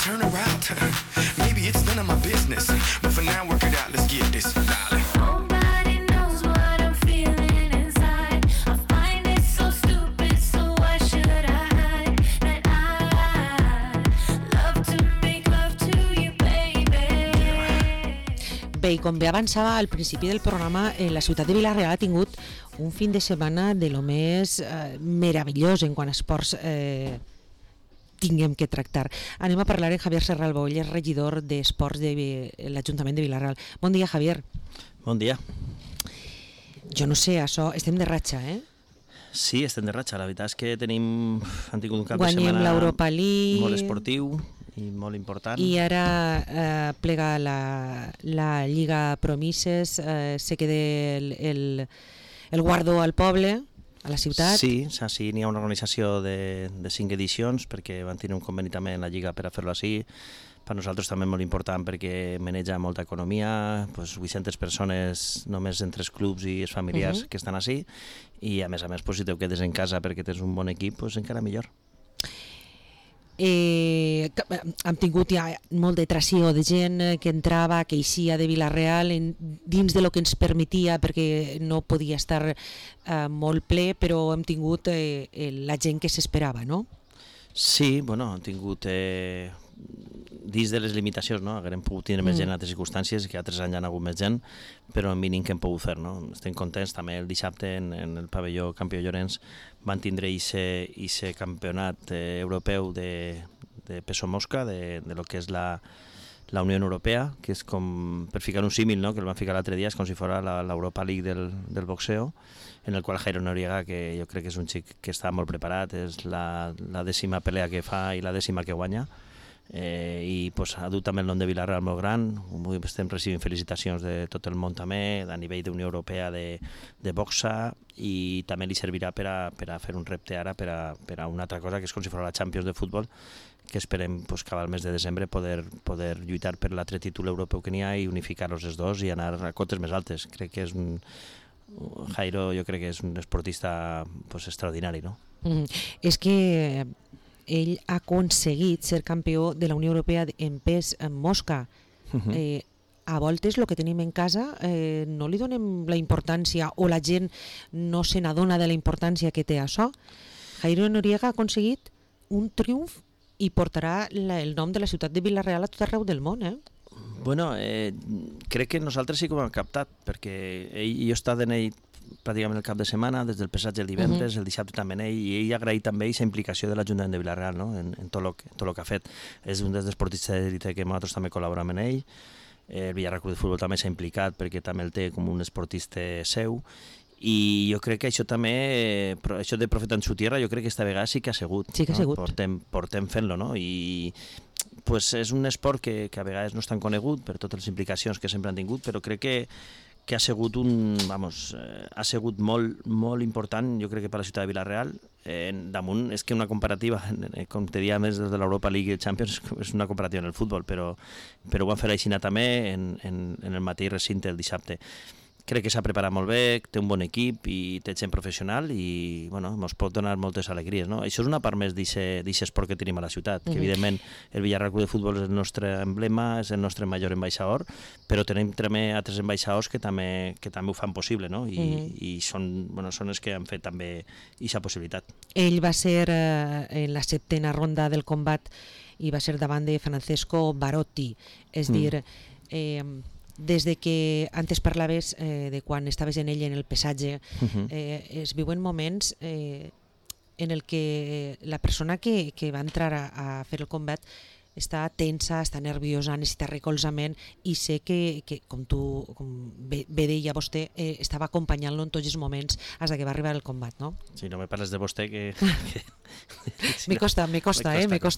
turn her out. Maybe it's none of my business, but for now work it out, let's get this, darling. Nobody knows what I'm feeling inside. I find it so stupid, so why should I hide that I love to make love to you, baby. Bé, i com bé avançava al principi del programa, la ciutat de Vila-real ha tingut un fin de setmana de lo més meravellós en quant a esports tinguem que tractar. Anem a parlar amb Javier Serralbo, ell és regidor d'Esports de l'Ajuntament de Vila-real. Bon dia, Javier. Bon dia. Jo no sé, això, estem de ratxa, eh? Sí, estem de ratxa. La veritat és que han tingut un cap de setmana Guanyem l'Europa League, molt esportiu i molt important. i ara plega la Lliga Promises, se queda el guardó al poble, a la ciutat. Sí, n'hi ha una organització de 5 edicions perquè van tenir un conveni també en la Lliga per a fer-lo així. Per nosaltres també molt important perquè maneja molta economia, 800 persones només entre els clubs i els familiars que estan així, i a més, si te quedes en casa perquè tens un bon equip, encara millor. Hem tingut ja molt de tració de gent que entrava, que eixia de Vila-real dins de lo que ens permetia, perquè no podia estar molt ple, però hem tingut la gent que s'esperava, no? Sí, hem tingut dins de les limitacions, no? Haguem pogut tenir més gent en altres circumstàncies, que altres anys hi ha hagut més gent, però el mínim que hem pogut fer, no? Estem contents, també el dissabte en el pavelló Campió Llorenç van tindre aquest campionat europeu de peso mosca, de lo que és la Unió Europea, que és com, per ficar un símil, no? Que el van ficar l'altre dia, és com si fos l'Europa League del boxeo, en el qual Jairo Noriega, que jo crec que és un xic que està molt preparat, és la 10ª pelea que fa i la 10ª que guanya, i ha dut també el nom de Vila-real molt gran. Estem recibint felicitacions de tot el món també, a nivell d'Unió Europea de boxa, i també li servirà per a fer un repte ara per a una altra cosa, que és com si fos la Champions de futbol, que esperem que al mes de desembre poder lluitar per l'altre títol europeu que n'hi ha i unificar-los els dos i anar a cotes més altes. Crec que és Jairo, jo crec que és un esportista extraordinari, no? És que ell ha aconseguit ser campió de la Unió Europea en pes mosca. A voltes el que tenim en casa no li donem la importància, o la gent no se n'adona de la importància que té això. Jairo Noriega ha aconseguit un triomf i portarà el nom de la ciutat de Vila-real a tot arreu del món, eh? Crec que nosaltres sí que ho hem captat, perquè jo he estat en ell pràcticament el cap de setmana, des del passatge el divendres, el dissabte també en ell, i ell ha agraït també aquesta implicació de l'Ajuntament de Vila-real, no? en tot el que ha fet. És un dels esportistes d'élite que nosaltres també col·laborem en ell. El Villarreal Club de Futbol també s'ha implicat perquè també el té com un esportista seu, i jo crec que això també, això de Profeta en su tierra, jo crec que esta vegada sí que ha sigut. Sí que ha sigut. Portem fent-lo, no? I és un esport que a vegades no és tan conegut per totes les implicacions que sempre han tingut, però crec que ha sigut ha sigut molt important, jo crec que per la ciutat de Vila-real. Damunt és que una comparativa, com te dia més des de l'Europa League i el Champions, és una comparativa en el futbol, però ho van fer així també en el mateix recinte el dissabte. Crec que s'ha preparat molt bé, té un bon equip i té gent professional i ens pot donar moltes alegries, no? Això és una part més d'aquest esport que tenim a la ciutat, que evidentment el Villarreal Club de Futbol és el nostre emblema, és el nostre major ambaixador, però tenim també altres ambaixadors que també ho fan possible, no? I són els que han fet també aquesta possibilitat. Ell va ser en la 7ª ronda del combat i va ser davant de Francesco Barotti, és dir, des de que antes parlaves de quan estaves en ell en el pesatge, es viuen moments en el que la persona que va entrar a fer el combat està tensa, està nerviosa, necessita recolzament, i sé que com bé deia vostè, estava acompanyant-lo en tots els moments fins que va arribar el combat, no? Sí, no me parles de vostè que... Me costa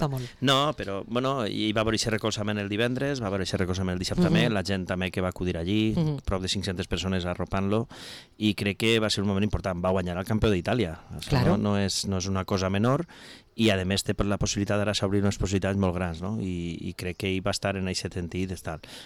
molt. No, però, hi va haver aquest recolzament el divendres, va haver aquest recolzament el dissabte també, la gent també que va acudir allí, prop de 500 persones arropant-lo, i crec que va ser un moment important. Va guanyar el campió d'Itàlia, no és una cosa menor, i a més té la possibilitat d'ara s'obrir unes possibilitats molt grans, no? I crec que ell va estar en aquest sentit.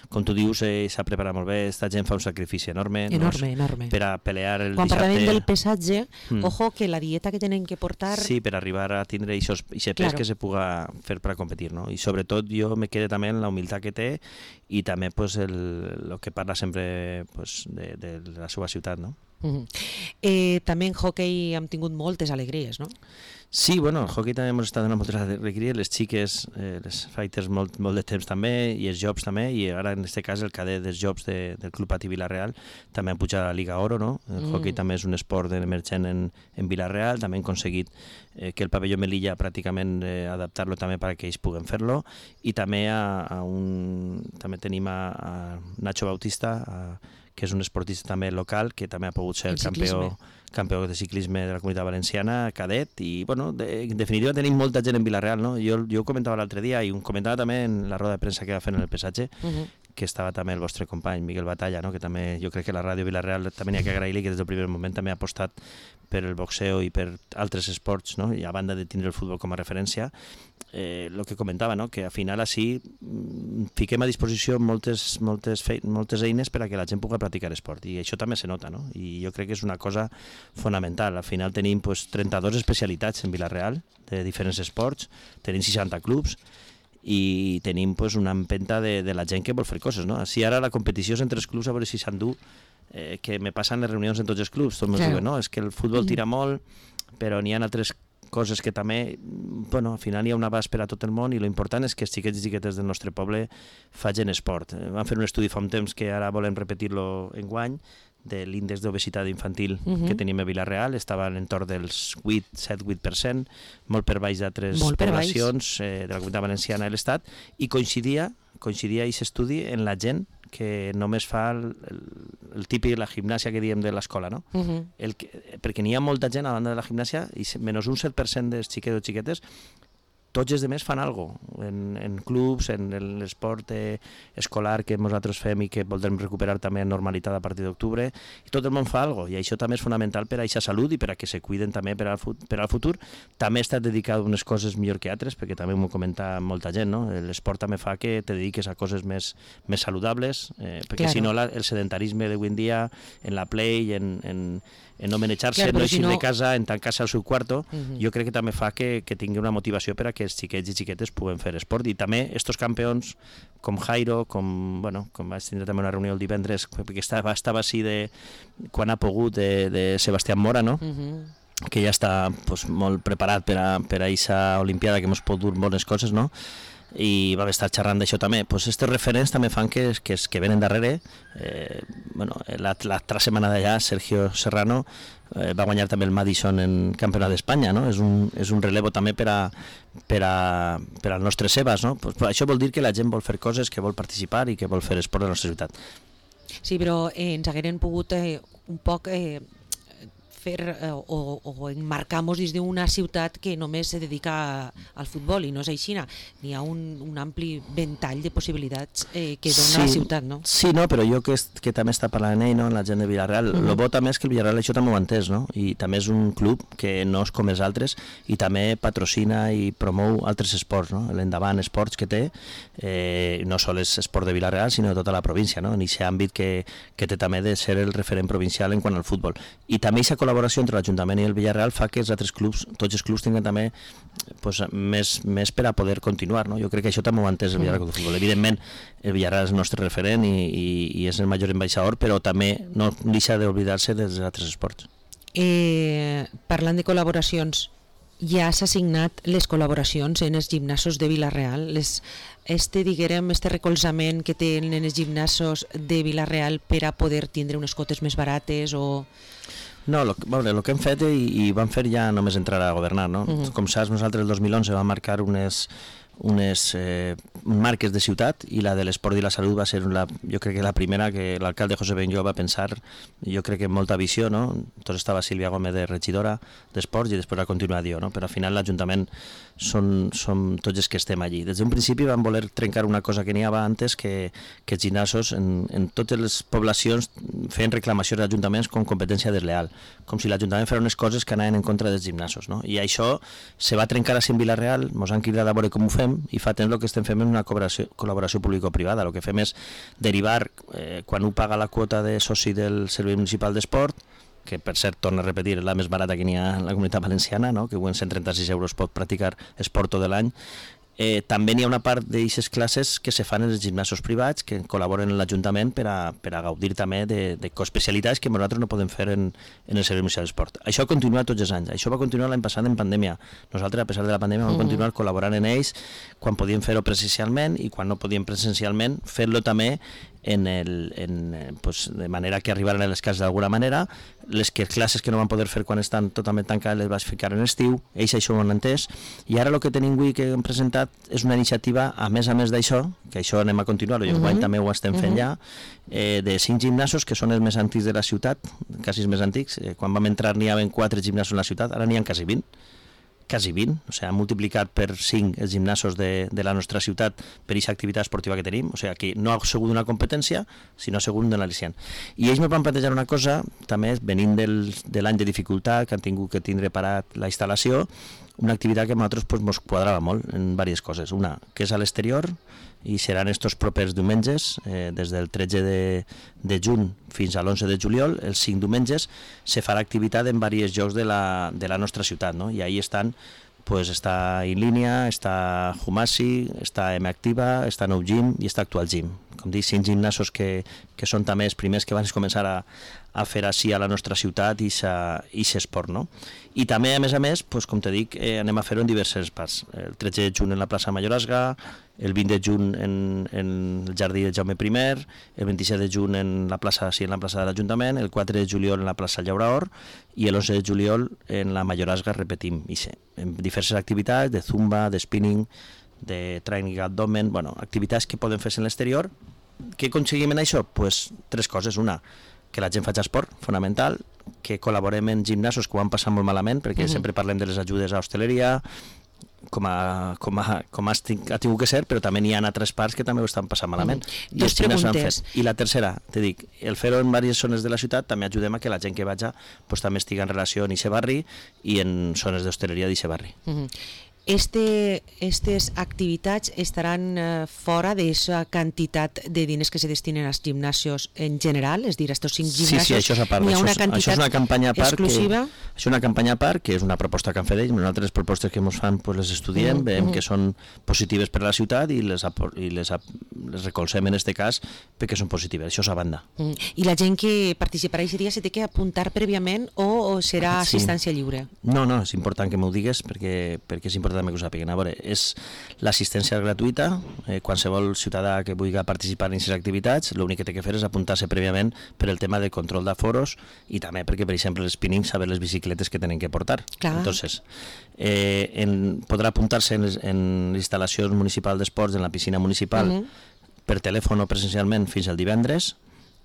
Com tu dius, s'ha preparat molt bé, esta gent fa un sacrifici enorme, enorme. Per a pelear el Quan dissabte. parlàvem del pesatge, ojo que la dieta que tenen que portar... Sí, per arribar a tindre aquest pes que se puga fer per a competir, no? I sobretot jo me quedé també en la humilitat que té i també pues, el que parla sempre pues, de la seva ciutat, no? També en hockey hem tingut moltes alegries, no? Sí, bueno, el hockey també hemos estat donant moltes alegries, les xiques, les fighters molt de temps també, i els jobs també, i ara en aquest cas el cadet dels jobs del Club Patí Vila-real també han pujat a la Liga Oro, no? El hockey també és un esport emergent en Vila-real, també han aconseguit que el pavelló Melilla pràcticament adaptar-lo també perquè ells puguen fer-lo, i també també tenim a Nacho Bautista, que és un esportista també local, que també ha pogut ser campió de ciclisme de la Comunitat Valenciana, cadet, i bueno, en definitiva tenim molta gent en Vila-real, no? Jo ho comentava l'altre dia, i ho comentava també en la roda de premsa que va fer en el pesatge, que estava també el vostre company, Miguel Batalla, no? Que també jo crec que la ràdio Vila-real també n'hi ha que agrair-li, que des del primer moment també ha apostat per el boxeo i per altres esports, no? I a banda de tindre el futbol com a referència, el que comentava, no? Que al final així fiquem a disposició moltes eines per a que la gent pugui practicar esport, i això també se nota, no? I jo crec que és una cosa fonamental. Al final tenim 32 especialitats en Vila-real de diferents esports, tenim 60 clubs i tenim una empenta de la gent que vol fer coses, no? Si ara la competició és entre els clubs, a veure si s'endú, que me passen les reunions en tots els clubs, tots diuen, no? És que el futbol tira molt, però n'hi ha altres coses que també, bueno, al final hi ha un abast per a tot el món, i l'important és que els xiquets i xiquetes del nostre poble facin esport. Vam fer un estudi fa un temps que ara volem repetir-lo enguany, de l'índex d'obesitat infantil que tenim a Vila-real, estava en entorn dels 7-8%, molt per baix d'altres poblacions de la Comunitat Valenciana i l'Estat, i coincidia aquest estudi en la gent que només fa el típic, la gimnàsia que diem de l'escola, no? Perquè n'hi ha molta gent a banda de la gimnàsia, i menys un 7% dels xiquets o xiquetes, tots els demés fan alguna cosa, en clubs, en l'esport escolar que nosaltres fem i que voldrem recuperar també en normalitat a partir d'octubre, i tot el món fa alguna cosa, i això també és fonamental per a aquesta salut i per a que se cuiden també per al futur. També està dedicat a unes coses millor que altres, perquè també m'ho comenta molta gent, no? L'esport també fa que te dediques a coses més saludables, perquè si no el sedentarisme d'avui en dia, en la play, en no manejar-se, no eixir de casa, en tancar-se al seu quarto, jo crec que també fa que tingui una motivació per a que els xiquets i xiquetes puguen fer esport. I també estos campions com Jairo, com vaig tindre també una reunió el divendres, perquè estava així quan ha pogut, de Sebastián Mora, no? Que ja està molt preparat per a aquesta Olimpiada, que ens pot dur bones coses, no? I vam estar xerrant d'això també. Aquests referents també fan que venen darrere. L'altra setmana d'allà, Sergio Serrano va guanyar també el Madison en Campionat d'Espanya, no? És un relevo també per al nostre Sebas, no? Això vol dir que la gent vol fer coses, que vol participar i que vol fer esport a la nostra ciutat. Sí, però ens hagueren pogut un poc fer o enmarcar-nos dins d'una ciutat que només se dedica al futbol, i no és així. N'hi ha un ampli ventall de possibilitats que dona la ciutat, no? Sí, no, però jo que també està parlant ell, no, la gent de Villarreal, el bo també és que el Villarreal això també ho ha entès, no? I també és un club que no és com els altres, i també patrocina i promou altres esports, no? L'Endavant Esports que té, no sols és esport de Villarreal, sinó de tota la província, no? En aquest àmbit que té també de ser el referent provincial en quant al futbol. I també aquesta col·laboració entre l'Ajuntament i el Villarreal fa que els altres clubs, tots els clubs, tinguin també més per a poder continuar, no? Jo crec que això també ho ha entès el Villarreal de futbol. Evidentment, el Villarreal és el nostre referent i és el major ambaixador, però també no deixa d'oblidar-se dels altres esports. Parlant de col·laboracions, ja s'ha signat les col·laboracions en els gimnasos de Vila-real, este recolzament que tenen els gimnasos de Vila-real per a poder tindre unes cotes més barates o... No, el que hem fet i vam fer ja només entrar a governar, no? Com saps, nosaltres el 2011 vam marcar unes marques de ciutat, i la de l'esport i la salut va ser jo crec que la primera que l'alcalde José Benllo va pensar, jo crec que amb molta visió, no? Entonces estava Sílvia Gómez de regidora d'esports i després va continuar jo, no? Però al final l'Ajuntament som tots els que estem allí. Des d'un principi vam voler trencar una cosa que n'hi havia antes, que els gimnasos en totes les poblacions feien reclamacions als ajuntaments com competència desleal, com si l'Ajuntament fes unes coses que anaven en contra dels gimnasos, no? I això se va trencar així en Vila-real, ens han cridat a veure com ho fem, i fa temps el que estem fent és una col·laboració público-privada. El que fem és derivar, quan un paga la quota de soci del Servei Municipal d'Esport, que per cert, torno a repetir, és la més barata que n'hi ha en la Comunitat Valenciana, no? Que en 136 euros pot practicar esport tot l'any. També n'hi ha una part d'aquestes classes que se fan en els gimnasos privats, que col·laboren amb l'Ajuntament per a gaudir també de coespecialitats que nosaltres no podem fer en el Servei Municipal d'Esport. Això continua tots els anys. Això va continuar l'any passat en pandèmia. Nosaltres, a pesar de la pandèmia, vam continuar col·laborant en ells quan podíem fer-ho presencialment, i quan no podíem presencialment, fer-lo també de manera que arribaren a les cases d'alguna manera. Les classes que no van poder fer quan estan totalment tancades les vaig ficar en estiu, ells això ho han entès, i ara el que tenim avui que hem presentat és una iniciativa, a més d'això, que això anem a continuar, i enguany també ho estem fent ja, de 5 gimnasos que són els més antics de la ciutat, quasi els més antics. Quan vam entrar n'hi havia 4 gimnasos en la ciutat, ara n'hi ha quasi 20, o sigui, han multiplicat per 5 els gimnasos de la nostra ciutat per aquesta activitat esportiva que tenim, o sigui, que no ha sigut una competència, sinó ha sigut un al·licient. I ells me van plantejar una cosa, també venint de l'any de dificultat, que han tingut que tindre parat la instal·lació, una activitat que a nosaltres ens quadrava molt en diverses coses. Una, que és a l'exterior, i seran estos propers diumenges, des del 13 de juny fins a l'11 de juliol, els 5 diumenges, se farà activitat en diversos llocs de la nostra ciutat, no? I ahí estan, pues, està In Línia, està Humasi, està M Activa, està Nou Gym i està Actual Gym. Com dic, 5 gimnasos que són també els primers que van començar a fer així a la nostra ciutat i s'esport, no? I també, a més, pues, com te dic, anem a fer-ho en diverses parts. El 13 de juny en la plaça Mayorazga, el 20 de juny en el jardí de Jaume I, el 27 de juny en la plaça de l'Ajuntament, el 4 de juliol en la plaça Llauraor i el 11 de juliol en la Mayorazga, repetim, en diverses activitats de zumba, de spinning, de training abdomen, activitats que poden fer-se en l'exterior. Què aconseguim en això? Pues 3 coses. Una, que la gent faci esport, fonamental, que col·laborem en gimnasos que ho han passat molt malament, perquè sempre parlem de les ajudes a hostaleria, com ha tingut que ser, però també n'hi ha altres parts que també ho estan passant malament. Dos preguntes. I la tercera, te dic, el fer-ho en diverses zones de la ciutat també ajudem a que la gent que vaja pues, també estigui en relació en aquest barri i en zones d'hostaleria d'aquest barri. Aquestes activitats estaran fora d'aquesta quantitat de diners que se destinen als gimnasios en general, és a dir, estos 5 gimnasios. Sí, això és a part. Això és una campanya a part exclusiva. Això és una campanya a part, que és una proposta que han fet ells. Nosaltres les propostes que ens fan pues, les estudiem, veiem que són positives per a la ciutat i les recolzem en aquest cas perquè són positives. Això és a banda. I la gent que participarà aquest dia se té que apuntar prèviament o serà assistència lliure? No, és important que m'ho digues perquè és important també que ho sàpiguen. A veure, és l'assistència gratuïta, qualsevol ciutadà que vulgui participar en aquestes activitats, l'únic que té que fer és apuntar-se prèviament per el tema de control d'aforos i també perquè, per exemple, el spinning, saber les bicicletes que tenen que portar. Clar. Entonces, podrà apuntar-se en l'instal·lació municipal d'esports, en la piscina municipal, per telèfon o presencialment fins al divendres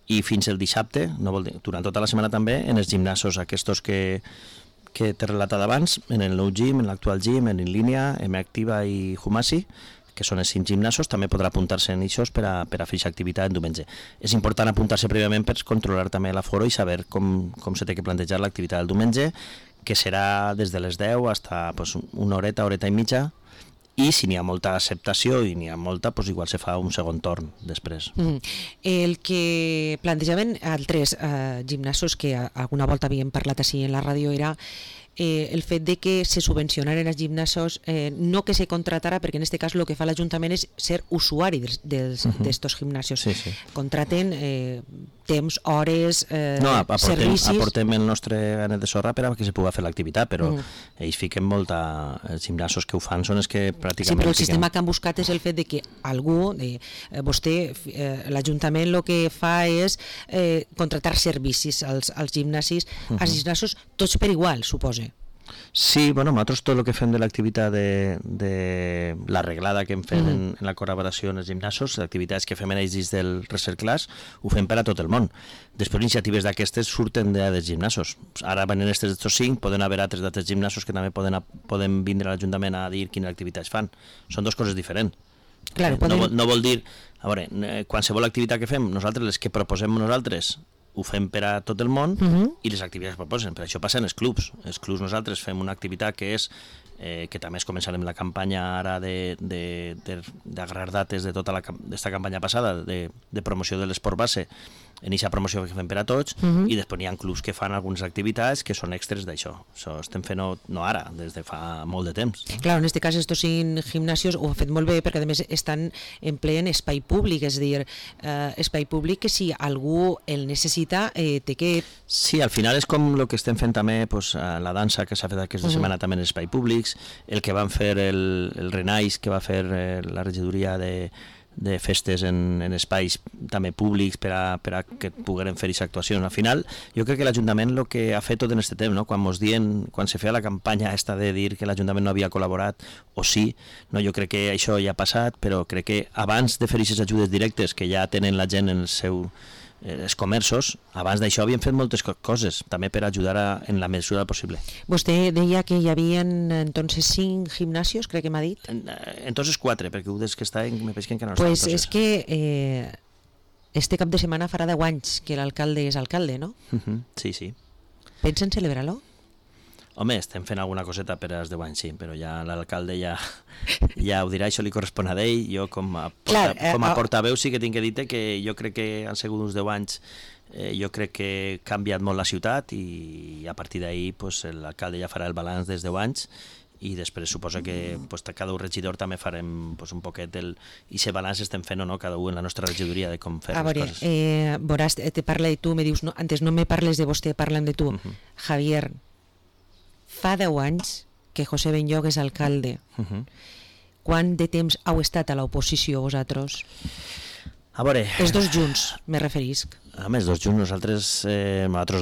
i fins el dissabte, durant tota la setmana també, en els gimnasos aquests que t'he relatat abans, en el Nou Gym, en l'Actual Gym, en Línia, M Activa i Humasi, que són els 5 gimnasos, també podrà apuntar-se en això per a fer aquesta activitat en diumenge. És important apuntar-se prèviament per controlar també l'aforo i saber com se té que plantejar l'activitat del diumenge, que serà des de les 10 fins una horeta i mitja, i si n'hi ha molta acceptació i n'hi ha molta, doncs igual se fa un segon torn després. El que plantejaven altres gimnasos que alguna volta havíem parlat així en la ràdio era el fet de que se subvencionaren els gimnasos, no que se contratara, perquè en aquest cas el que fa l'Ajuntament és ser usuari d'estos gimnasios. Sí. Contraten temps, hores, servicis. Aportem el nostre granet de sorra per a que se pugui fer l'activitat, però ells fiquen molt els gimnasos que ho fan són els que pràcticament... Sí, però el sistema que han buscat és el fet de que algú, vostè, l'Ajuntament el que fa és contratar servicis als gimnasos, tots per igual, suposa. Sí, bueno, nosaltres tot el que fem de l'activitat de l'arreglada que hem fet en la col·laboració en els gimnasos, les activitats que fem en ells dins del Recerclàs, ho fem per a tot el món. Després, iniciatives d'aquestes surten dels gimnasos. Ara venen aquestes d'estos 5, poden haver altres d'altres gimnasos que també poden vindre a l'Ajuntament a dir quines activitats fan. Són dues coses diferents. Claro, No vol dir... A veure, qualsevol activitat que fem, nosaltres, les que proposem nosaltres, ho fem per a tot el món i les activitats que proposen. Per això passen els clubs. Els clubs nosaltres fem una activitat que és que també es començarem la campanya ara d'agarrar dates de tota aquesta campanya passada de promoció de l'esport base, en aquesta promoció que fem per a tots, i després n'hi ha clubs que fan algunes activitats que són extres d'això. Això estem fent no ara, des de fa molt de temps. Claro, en este cas estos 5 gimnasios ho han fet molt bé perquè a més estan en ple en espai públic, és a dir, espai públic que si algú el necessita té que... Sí, al final és com el que estem fent també la dansa que s'ha fet aquesta setmana també en espai públics, el que van fer el Renais, que va fer la regidoria de festes en espais també públics per a que pogueren fer aquesta actuació. Al final, jo crec que l'Ajuntament el que ha fet tot en aquest temps, no? Quan se feia la campanya esta de dir que l'Ajuntament no havia col·laborat, o sí, no? Jo crec que això ja ha passat, però crec que abans de fer aquestes ajudes directes que ja tenen la gent en els comerços, abans d'això havien fet moltes coses, també per ajudar en la mesura possible. Vostè deia que hi havia entonces 5 gimnasios, crec que m'ha dit. Entonces 4, perquè des que està me penso que encara no està. Pues és que este cap de setmana farà 10 anys que l'alcalde és alcalde, no? Sí, sí. Pensen celebrar-lo? Home, estem fent alguna coseta per als 10 anys, sí, però ja l'alcalde ja ho dirà, això li correspon a ell. Jo com a portaveu sí que tinc que dir que jo crec que han sigut uns 10 anys, jo crec que ha canviat molt la ciutat i a partir d'ahir l'alcalde ja farà el balanç dels 10 anys i després suposa que cada un regidor també farem un poquet i aquest balanç estem fent o no cada un en la nostra regidoria de com fer les coses. Veuràs, te parla de tu, me dius, no, antes no me parles de vostè, parlen de tu. Javier, fa 10 anys que José Benlloch és alcalde. Quant de temps heu estat a l'oposició vosaltres? A veure... Els dos junts, me referisc. A més, dos junts, nosaltres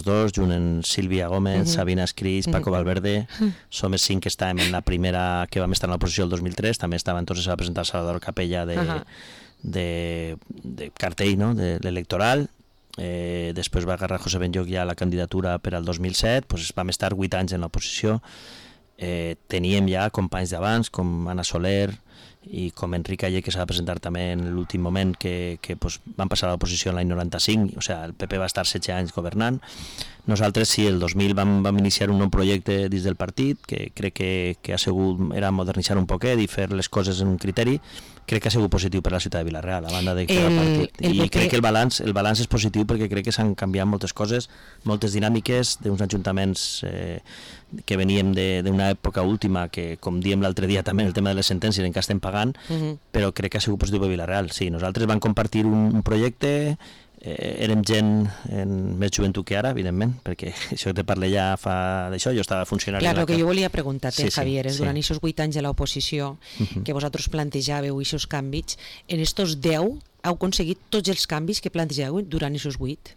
dos, junt en Sílvia Gómez, Sabina Escris, Paco Valverde, som els 5 que estàvem en la primera que vam estar en l'oposició el 2003, també estava entonces a presentar Salvador Capella de cartell, no?, de l'electoral. Després va agarrar José Benlloch ja la candidatura per al 2007, vam estar 8 anys en l'oposició, teníem ja companys d'abans com Anna Soler i com Enric Ayer, que s'ha de presentar també en l'últim moment, que van passar a l'oposició l'any 95, o sigui, el PP va estar 16 anys governant. Nosaltres sí, el 2000 vam iniciar un nou projecte dins del partit, que crec que ha sigut, era modernitzar un poquet i fer les coses en un criteri. Crec que ha sigut positiu per a la ciutat de Vila-real, a banda de que el partit. I crec que el balanç és positiu perquè crec que s'han canviat moltes coses, moltes dinàmiques d'uns ajuntaments que veníem d'una època última, que com diem l'altre dia també el tema de les sentències encara estem pagant, però crec que ha sigut positiu per Vila-real. Sí, nosaltres vam compartir un projecte, érem gent en més joventut que ara, evidentment, perquè això que te parlé ja fa d'això, jo estava funcionari... Clar, el que jo volia preguntar-te, Javier, és durant aquests 8 anys de l'oposició que vosaltres plantejàveu aquests canvis, en estos 10 heu aconseguit tots els canvis que plantejàveu durant aquests 8?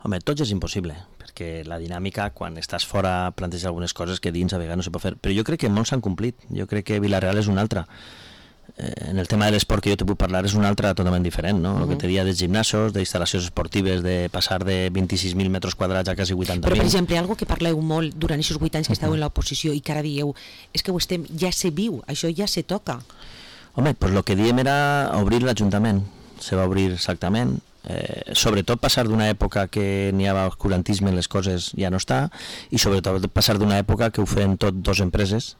Home, tots és impossible, perquè la dinàmica, quan estàs fora, planteges algunes coses que dins a vegades no se pot fer, però jo crec que molts s'han complit, jo crec que Vila-real és una altra. En el tema de l'esport que jo te puc parlar és una altra totalment diferent, no? El que te dia dels gimnasos, d'instal·lacions esportives, de passar de 26.000 metres quadrats a quasi 80.000. Però, per exemple, algo que parleu molt durant aquests 8 anys que esteu en l'oposició i que ara dieu, és que ja se viu, això ja se toca. Home, doncs el que diem era obrir l'Ajuntament, se va obrir exactament, sobretot passar d'una època que n'hi havia oscurantisme en les coses ja no està, i sobretot passar d'una època que ho feien tot dos empreses,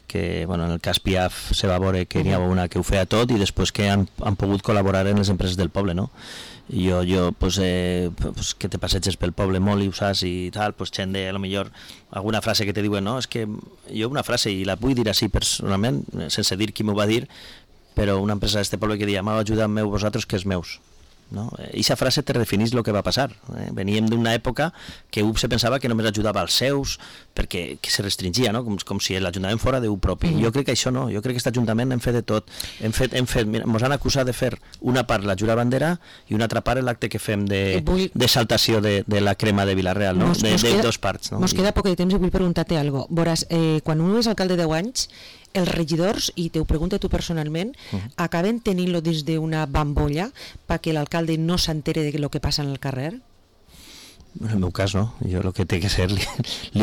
que en el cas Piaf se va veure que n'hi havia una que ho feia tot i després que han pogut col·laborar en les empreses del poble, no? Jo que te passeges pel poble molt i ho saps i tal, gent de, a lo millor, alguna frase que te diuen, no? És que jo una frase, i la vull dir així personalment, sense dir qui m'ho va dir, però una empresa d'este poble que deia, m'heu ajudat meu vosaltres que és meus. no? Eixa frase te definís el que va passar. Veníem d'una època que se pensava que només ajudava als seus, perquè que se restringia, no? Com si l'Ajuntament fora Déu propi. Jo crec que això no, jo crec que aquest Ajuntament hem fet de tot. Mira, mos han acusat de fer una part la jura bandera i una altra part l'acte que fem d'exaltació de la crema de Vila-real, no? De dos parts. No? Mos queda poc de temps i vull preguntar-te alguna cosa. Veuràs, quan un és alcalde 10 anys, els regidors, i te ho pregunto tu personalment, acaben tenint-lo dins d'una bambolla perquè l'alcalde no s'entere de lo que passa en el carrer? En el meu cas no, jo el que té que ser li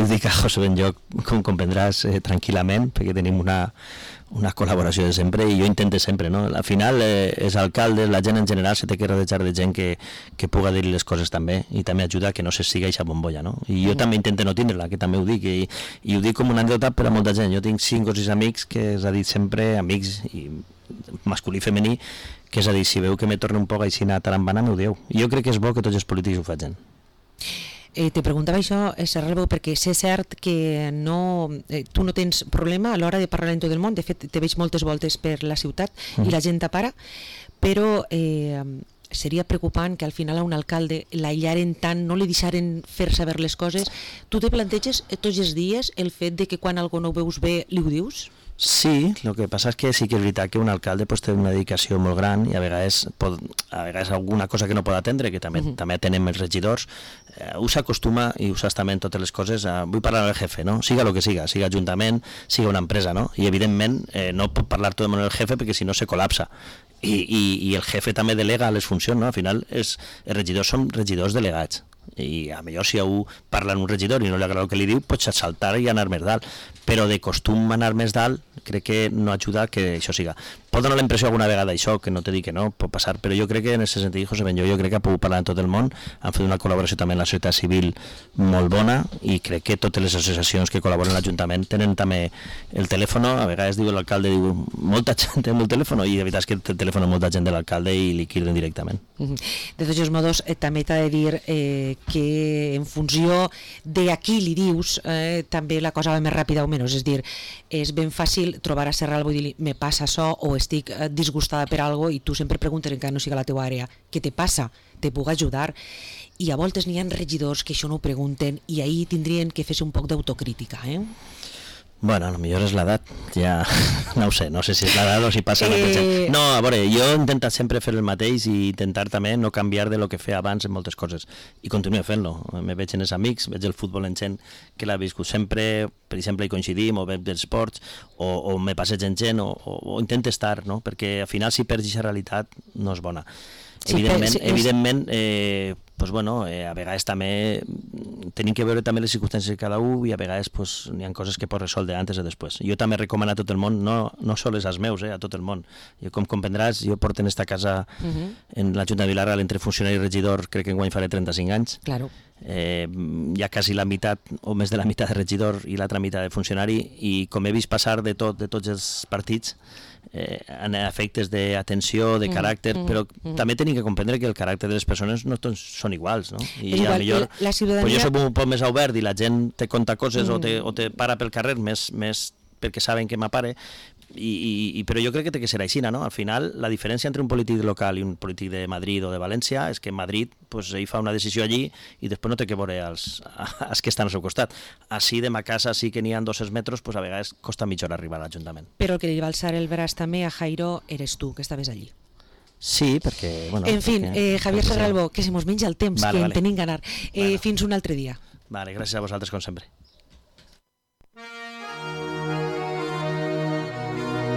ho dic a José Benlloc, com comprendràs, tranquil·lament, perquè tenim una col·laboració de sempre i jo intento sempre, no? Al final els alcaldes, la gent en general se té que rodejar de gent que puga dir les coses també i també ajuda a que no se siga eixa bombolla, no? I jo també intento no tindre-la, que també ho dic, i ho dic com una anècdota per a molta gent. Jo tinc 5 o 6 amics que s'ha dit sempre, amics i masculí i femení, que és a dir, si veu que me torna un poc així a tarambana, m'ho dieu. I jo crec que és bo que tots els polítics ho facin. Te preguntava això, Serralbo, perquè sé cert que tu no tens problema a l'hora de parlar en tot el món. De fet, te veig moltes voltes per la ciutat i la gent t'apara, però seria preocupant que al final a un alcalde l'aïllaren tant, no li deixaren fer saber les coses. Tu te planteges tots els dies el fet de que quan algú no ho veus bé li ho dius? Sí, el que passa és que sí que és veritat que un alcalde pues, té una dedicació molt gran i a vegades alguna cosa que no pot atendre, que també atenem els regidors, ho s'acostuma i ho saps també en totes les coses, vull parlar amb el jefe, no? Siga el que siga ajuntament, siga una empresa, no? I evidentment no pot parlar tot amb el jefe perquè si no se col·lapsa. I el jefe també delega les funcions, no? Al final els regidors són regidors delegats i a millor si algú parla amb un regidor i no li agrada el que li diu, pots saltar i anar més dalt, però de costum anar més dalt crec que no ajuda que això siga. Pot donar la impressió alguna vegada això, que no te dic que no, pot passar, però jo crec que en aquest sentit, José Benlloc, jo crec que ha pogut parlar en tot el món, han fet una col·laboració també amb la societat civil molt bona i crec que totes les associacions que col·laboren a l'Ajuntament tenen també el telèfon, a vegades diu l'alcalde, diu, molta gent té el telèfon i de veritat és que té el telèfon molta gent de l'alcalde i li criden directament. De tots els modos, també t'ha de dir que en funció de a qui li dius, també la cosa va més ràpida o menys, és dir, és ben fàcil trobar a Serralbo i dir-li, me passa això o estic disgustada per algo i tu sempre preguntes, encara no siga la teva àrea, què te passa? Te puc ajudar? I a voltes n'hi ha regidors que això no ho pregunten i ahir tindrien que fer un poc d'autocrítica, Bueno, a lo millor és l'edat, ja no ho sé, no sé si és l'edat o si passa la gent. No, a veure, jo he intentat sempre fer el mateix i intentar també no canviar de lo que feia abans en moltes coses i continuo fent-lo. Me veig en els amics, veig el futbol en gent que l'ha viscut sempre, per exemple, hi coincidim o veig dels esports o me passeig en gent o intento estar, no? Perquè al final si perds aquesta realitat no és bona. Sí, evidentment pues bueno, a vegades també tenim que veure també les circumstàncies de cada un i a vegades pues, hi ha coses que pots resoldre antes o després. Jo també recomano a tot el món, no sols als meus, a tot el món. Jo, com comprendràs, jo porto en esta casa en la Junta de Vila-real entre funcionari i regidor, crec que enguany faré 35 anys. Claro. Hi ha quasi la meitat o més de la meitat de regidor i l'altra meitat de funcionari i com he vist passar de tots els partits en efectes d'atenció, de caràcter, però també tenim que comprendre que el caràcter de les persones no tots són iguals, no? I a millor, jo soc un poc més obert i la gent te conta coses o te para pel carrer més perquè saben que m'apare, però jo crec que té que ser així, no? Al final, la diferència entre un polític local i un polític de Madrid o de València és que en Madrid pues, ell fa una decisió allí i després no té que veure els que estan al seu costat. Així de ma casa sí que n'hi ha 200 metres, pues, a vegades costa mitja hora arribar a l'Ajuntament. Però el que li va alçar el braç també a Jairo eres tu, que estaves allí. Sí, perquè... Bueno, en fi, Javier Serralbo, que se mos menja el temps, que en tenim ganar. Fins un altre dia. Vale, gràcies a vosaltres, com sempre.